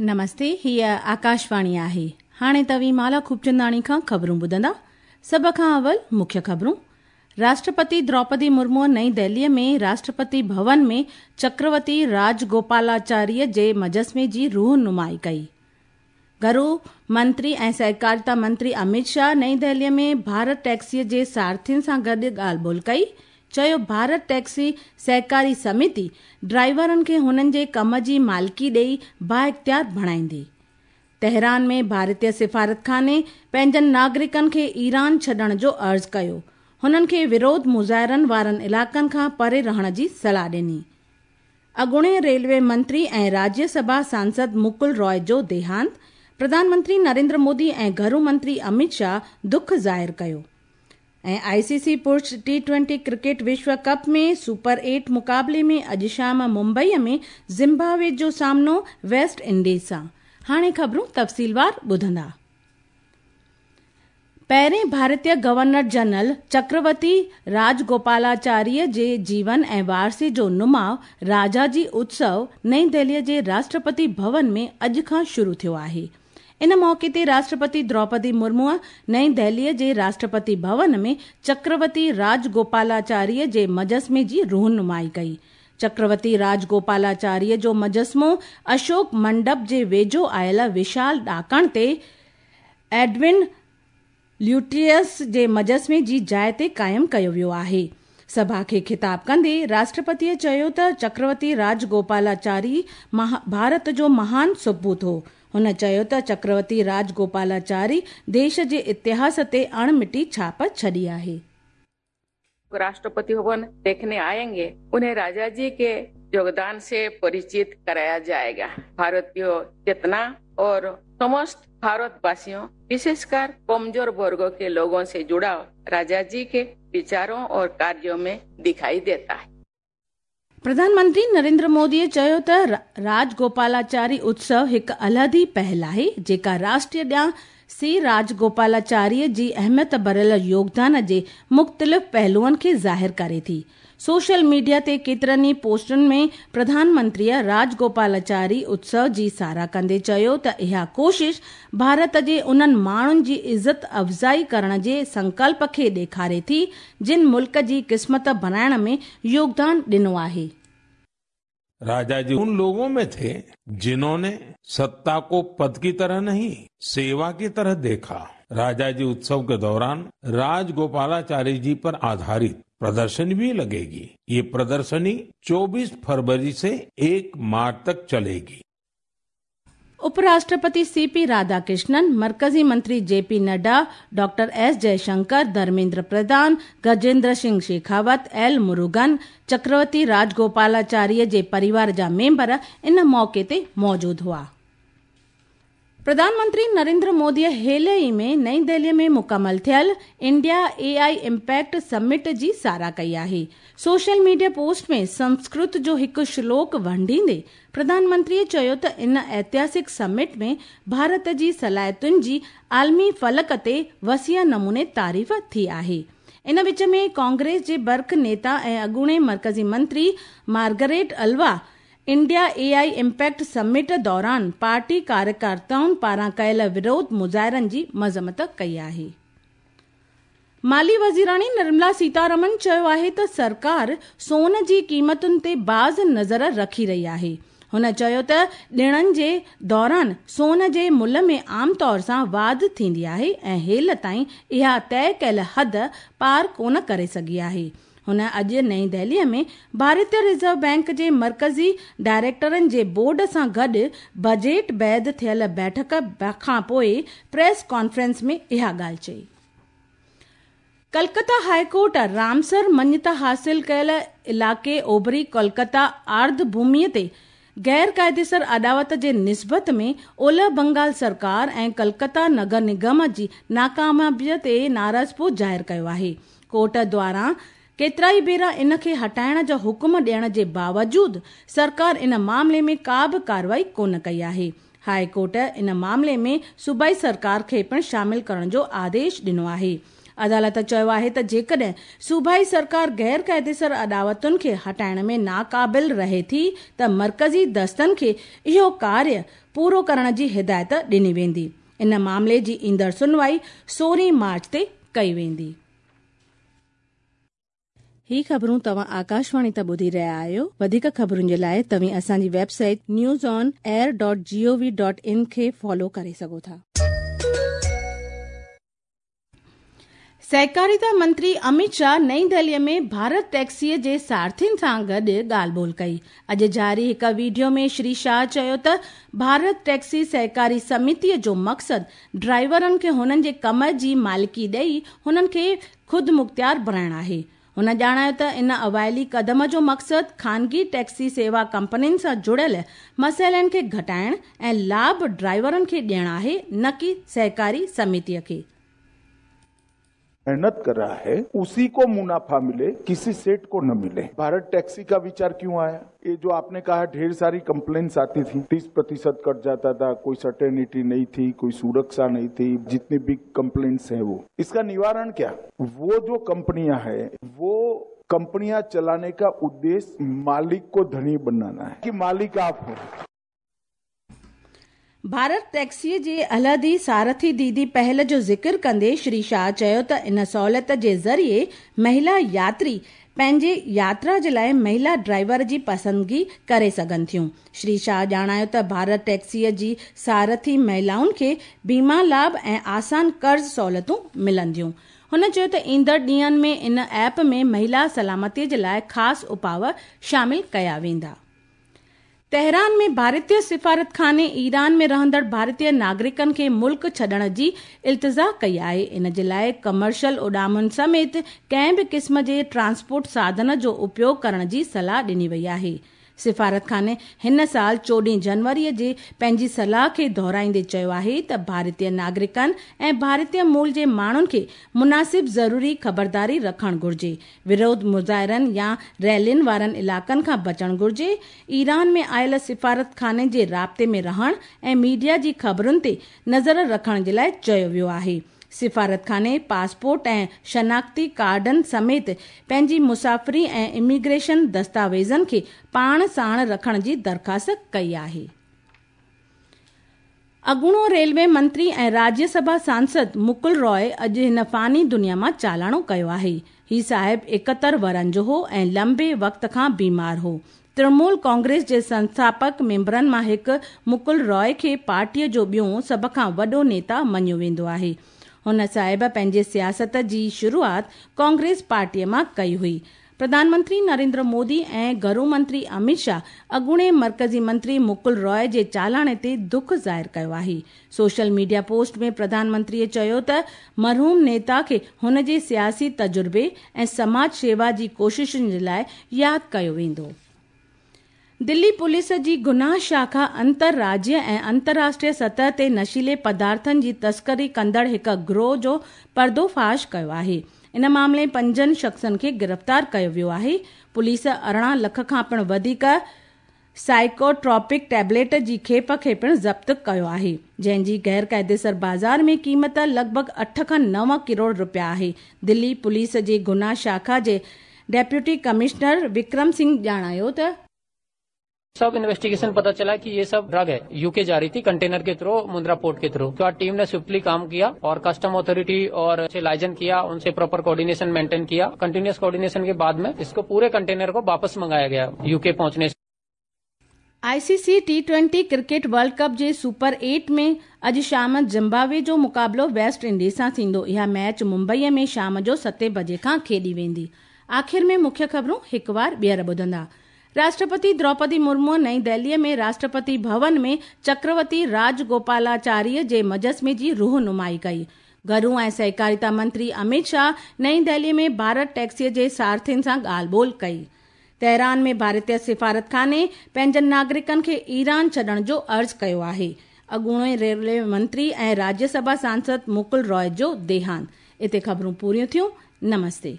نمستي، هيء آڪاشواڻي آهي. هاڻي توهين مالا خوبچنداڻي کان خبرون ٻڌندا. سڀ کان اول مکيه خبرون. راشٽرپتي دروپدي مرموء نئين دهليء ۾ راشٽرپتي ڀون ۾ چڪروتي راجگوپالاچاري جي مجسمي جي روح نمائي ڪئي. گهرو منتري ۽ سهڪارتا منتري امت شاهه نئين دهليء ۾ ڀارت ٽيڪسيء جي سارٿين سان گڏ ڳالهه ٻولهه ڪئي. چيو ڀارت ٽيڪسي سهڪاري سميتي ڊرائيورن کي هنن جي ڪم جي مالڪي ڏئي بااختيار بڻائيندي. تهران ۾ ڀارتي سفارتخاني پنهنجن ناگرڪن کي ايران ڇڏڻ جو عرض ڪيو. هنن کي وروڌ مظاهرن وارن علائقن کان پري رهڻ جي صلاح ڏني. اڳوڻي ريلوي منتري ۽ راجيه سڀا سانسد مڪل راءِ جو ديهانت، پرڌان منتري نريندر مودي ۽ گهرو منتري امت شاهه دک ظاهر ڪيو. ۽ آء سي سي پرش ٽي ٽوئنٽي ڪرڪيٽ وشو ڪپ ۾ سپر ايٽ مقابلي ۾ اڄ شام ممبئي ۾ زمبابوي جو سامنو ويسٽ انڊيز سان. هاڻي خبرون تفصيلوار ٻڌندا. پهرين ڀارتي گورنر جنرل چڪروتي راجگوپالاچاري جي جيون ۽ وارثي جو نماءُ راجاجي اتسو نئين دهليء جي راشٽرپتي ڀون ۾ اڄ کان شروع ٿيو آهي. ان موقعي تي راشٽرپتي دروپدي مرموء نئين دهليء جي راشٽرپتي ڀون ۾ چڪروتي راجگوپالاچاري جي مجسمي جي روح نمائي ڪئي. چڪروتي راجگوپالاچاري جو مجسمو اشوڪ منڊپ جي ويجهو آيل وشال ڏاڪڻ تي ايڊون ليوٽينس جي مجسمي جي جاءِ تي قائم ڪيو ويو آهي. سڀا کي خطاب ڪندي راشٽرپتيء چيو ته چڪروتي راجگوپالاچاري ڀارت جو مهان سپوت هو. هن چيو ته چڪروتي راجگوپالاچاري ديش جي اتهاس تي اڻ مٽي ڇاپ ڇڏي آهي. राष्ट्रपति भवन देखने आएंगे उन्हें राजा जी के योगदान से परिचित कराया जाएगा। भारतीय चेतना और समस्त भारतवासियों, विशेषकर कमजोर वर्गों के लोगों से जुड़ाव राजा जी के विचारों और कार्यों में दिखाई देता है। प्रधानमंत्री नरेंद्र मोदीअ चयो त राजगोपालाचारी उत्सव हिकु अलहदी पहल आहे, जेका राष्ट्र ॾांहुं सी राजगोपालाचारी जी अहमियत भरियल योगदान जे मुख़्तलिफ़ पहलुअनि खे ज़ाहिर करे थी। सोशल मीडिया ते केतिरनि ई पोस्टुनि में प्रधानमंत्रीअ राजगोपालाचारी उत्सव जी सराह कंदे चयो त इहा ڪوشش ڀارت جي انهن ماڻهن جي عزت افزائي ڪرڻ جي سنڪلپ کي ڏيکاري ٿي، جن ملڪ جي قسمت بڻائڻ ۾ يوگدان ڏنو آهي. राजा जी उन लोगों में थे जिन्होंने सत्ता को पद की तरह नहीं, सेवा की तरह देखा। राजा जी उत्सव के दौरान राजगोपालाचारी जी पर आधारित प्रदर्शनी भी लगेगी। ये प्रदर्शनी 24 फरवरी से 1 मार्च तक चलेगी। उपराष्ट्रपति सी पी राधाकृष्णन, मर्कज़ी मंत्री J P Nadda, doctor S Jaishankar, Dharmendra Pradhan, Gajendra Singh Shekhawat, L Murugan, Chakravarti Rajagopalachari जे परिवार जा मेंबर इन मौक़े ते मौजूद हुआ। प्रधानमंत्री नरेंद्र मोदीअ हाल ई में नई दिल्लीअ में मुकमल थियल इंडिया एआई इम्पैक्ट समिट जी सराह कई आहे। सोशल मीडिया पोस्ट में संस्कृत जो हिकु श्लोक वंडींदे प्रधानमंत्रीअ चयो त इन ऐतिहासिक समिट में भारत जी सलाहियतुनि जी आलमी फलक ते वसीअ नमूने तारीफ़ थी आहे। इन विच में कांग्रेस जे बर्क नेता ऐं अॻूणे मर्कज़ी मंत्री Margaret Alva India AI impact summit दौरान पार्टी कार्यकर्ताउनि पारां कयल विरोध मुज़ाहिरनि जी मज़म्मत कई आहे। माली वज़ीराणी निर्मला सीतारमन चयो आहे त सरकार सोन जी क़ीमतुनि ते बाज़ नज़र रखी रही आहे। हुन चयो त ॾिणनि जे दौरान सोन जे मुल्ह में आम तौर सां वाध थींदी आहे ऐं हेल ताईं इहा तय कयल हद पार कोन करे सघी आहे। हुन अॼु नई दिल्लीअ में भारतीय रिज़र्व बैंक जे मर्कज़ी डायरेक्टरनि जे बोर्ड सां गॾु बजट बाद थियल बैठक खां पोइ प्रेस कॉन्फ्रेंस में इहा ॻाल्हि चई। कलकत्ता हाईकोर्ट रामसर मञता हासिल कयल इलाइक़े ओभरी कोलकाता आर्द्रभूमिअ ते गैर क़ाइदेसर अॾावत जे निस्बत में ओलह बंगाल सरकार ऐं कलकत्ता नगर निगम जी नाकामयाबीअ ते नाराज़पो ज़ाहिर कयो आहे। कोर्ट द्वारा केतिरा ई भेरा इन खे हटाइण जो हुकुम ॾियण जे बावजूद सरकार इन मामले में का बि कार्रवाई कोन कई आहे। हाई कोर्ट इन मामले में सूबाई सरकार खे पिणु शामिल करण जो आदेश ॾिनो आहे। अदालत चयो आहे त जेकॾहिं सूबाई सरकार गैर क़ाइदेसर अॾावतुनि खे हटाइण में नाक़ाबिल रहे थी त मर्कज़ी दस्तनि खे इहो कार्य पूरो करण जी हिदायत ॾिनी वेंदी। इन मामले जी ईंदड़ सुनवाई 16 मार्च ते कई वेंदी। ही ख़बरूं तव्हां आकाशवाणी तां ॿुधी रहिया आहियो। वधीक ख़बरुनि जे लाइ तव्हीं असांजी वेबसाइट newsonair.gov.in खे फॉलो करे सघो था। सहकारिता मंत्री अमित शाह नई दिल्लीअ में भारत टैक्सीअ जे सारथियुनि सां गॾु ॻाल्हि ॿोल कई। अॼु जारी हिकु वीडियो में श्री शाह चयो त भारत टैक्सी सहकारी समितीअ जो मक़सदु ड्राइवरनि खे हुननि जे कम जी मालिकी ॾेई हुननि खे ख़ुदि मुख़्तियार बणाइणु आहे। हुन ॼाणायो त इन अवाइली कदम जो मक़सदु ख़ानगी टैक्सी सेवा कंपनियुनि सां जुड़ियल मसइलनि खे घटाइण ऐं लाभ ड्राइवरनि खे ॾियणु आहे, न की सहकारी समितीअ खे। मेहनत कर रहा है उसी को मुनाफा मिले, किसी सेठ को न मिले। भारत टैक्सी का विचार क्यों आया? ये जो आपने कहा ढेर सारी कंप्लेंट्स आती थी, 30% कट जाता था, कोई सर्टेनिटी नहीं थी, कोई सुरक्षा नहीं थी, जितनी भी कंप्लेंट्स हैं वो, इसका निवारण क्या? वो जो कंपनियां हैं वो कंपनियां चलाने का उद्देश्य मालिक को धनी बनाना है कि मालिक आप हो। भारत टैक्सीअ जे अलहदी सारथी दीदी पहल जो ज़िक्र कंदे श्री शाह चयो त इन सहूलियत जे ज़रिए महिला यात्री पंहिंजी यात्रा जे लाइ महिला ड्राइवर जी पसंदगी करे सघनि थियूं। श्री शाह ॼाणायो त भारत टैक्सीअ जी सारथी महिलाउनि खे बीमा लाभ ऐं आसान कर्ज़ सहूलियतूं मिलंदियूं। हुन चयो त ईंदड़ ॾींहंनि में इन ऐप में महिला सलामतीअ जे लाइ ख़ासि उपाव शामिल कया वेंदा। तेहरान में भारतीय सिफारतखाने ईरान में रहंदड़ भारतीय नागरिकनि खे मुल्क छॾण जी इल्तिजा कई आहे। इन जे लाइ कमर्शियल उॾामुनि समेत कंहिं बि क़िस्म जे ट्रांसपोर्ट साधन जो उपयोग करण जी सलाह ॾिनी वई आहे। सिफारतखाने हिन साल 14 जनवरीअ जे पंहिंजी सलाह खे दोहराईंदे चयो आहे त भारतीय नागरिकनि ऐं भारतीय मूल जे माण्हुनि खे मुनासिब ज़रूरी ख़बरदारी रखणु घुर्जे। विरोध मुज़ाहिरनि या रैलियुनि वारनि इलाइक़नि खां बचणु घुर्जे। ईरान में आयल सिफारतखाने जे राब्ते में रहण ऐं मीडिया जी ख़बरुनि ते नज़र रखण जे लाइ चयो वियो आहे। सिफारतखाने पासपोर्ट ऐं शनाख्ती कार्डनि समेत पंहिंजी मुसाफ़िरी ऐं इमिग्रेशन दस्तावेज़नि खे पाण साण रखण जी दरख़्वास्त कई आहे। अॻूणो रेलवे मंत्री ऐं राज्यसभा सांसद मुकुल रॉय अॼु हिन फ़ानी दुनिया मां चालाणो कयो आहे। ही साहिब 71 वरनि जो हो ऐं लंबे वक़्त खां बीमार हो। तृणमूल कांग्रेस जे संस्थापक मेंबरनि मां हिकु मुकुल रॉय खे पार्टीअ जो ॿियो सभ खां वॾो नेता मञियो वेंदो आहे। हुन साहिब पंहिंजे सियासत जी शुरूआत कांग्रेस पार्टीअ मां कई हुई। प्रधानमंत्री नरेंद्र मोदी ऐं घरू मंत्री अमित शाह अॻूणे मर्कज़ी मंत्री मुकुल रॉय जे चालाणे ते दुख ज़ाहिर कयो आहे। सोशल मीडिया पोस्ट में प्रधानमंत्रीअ चयो त मरहूम नेता खे हुन जे सियासी तजुर्बे ऐं समाज शेवा जी कोशिशुनि जे लाइ यादि कयो वेंदो। दिल्ली पुलिस जी गुनाह शाखा अंतरराज्य ऐं अंतर्राष्ट्रीय सतह ते नशीले पदार्थनि जी तस्करी कंदड़ हिकु गिरोह जो पर्दोफाश कयो आहे। इन मामले 5 शख़्सनि खे गिरफ़्तार कयो वियो आहे। पुलिस 18 लख खां पिणु वधीक साइकोट्रॉपिक टैबलेट जी खेप खे पिणु ज़ब्त कयो आहे, जंहिंजी गैर क़ाइदेसर बाज़ार में क़ीमत लॻभॻि 8 खां 9 करोड़ रुपया आहे। दिल्ली पुलिस जे गुनाह शाखा जे डेप्यूटी कमिश्नर विक्रम सिंह ॼाणायो त सब इन्वेस्टिगेशन पता चला कि ये सब ड्रग है, यूके जा रही थी कंटेनर के थ्रू, मुंद्रा पोर्ट के थ्रू। तो टीम ने स्विफ्टली काम किया और कस्टम अथॉरिटी और लाइजन किया, उनसे प्रॉपर कोऑर्डिनेशन मेंटेन किया। कंटिन्यूअस कोऑर्डिनेशन के बाद में इसको पूरे कंटेनर को वापस मंगाया गया यूके पहुंचने। ICC T20 cricket world cup जे सुपर 8 में अॼु शाम जिम्बाब्वे जो मुक़ाबिलो वेस्ट इंडीज़ सां थींदो। इहा मैच मुंबईअ में शाम जो 7 बजे खां खेॾी वेंदी। आख़िर में मुख्य ख़बरूं हिकु बार ॿीहर ॿुधंदा। राष्ट्रपति द्रौपदी मुर्मू नई दिल्लीअ में राष्ट्रपति भवन में चक्रवर्ती राजगोपालाचार्य जे मुजस्मे जी रूह नुमाई कई। घरू ऐं सहकारिता मंत्री अमित शाह नई दिल्लीअ में भारत टैक्सीअ जे सारथियुनि सां ॻाल्हि ॿोल कई। तेहरान में भारतीय सिफारतखाने पंहिंजनि नागरिकनि खे ईरान छॾण जो अर्ज़ु कयो आहे। अॻूणे रेलवे मंत्री ऐं राज्यसभा सांसद मुकुल रॉय जो देहांत। हिते ख़बरूं पूरियूं थियूं। नमस्ते।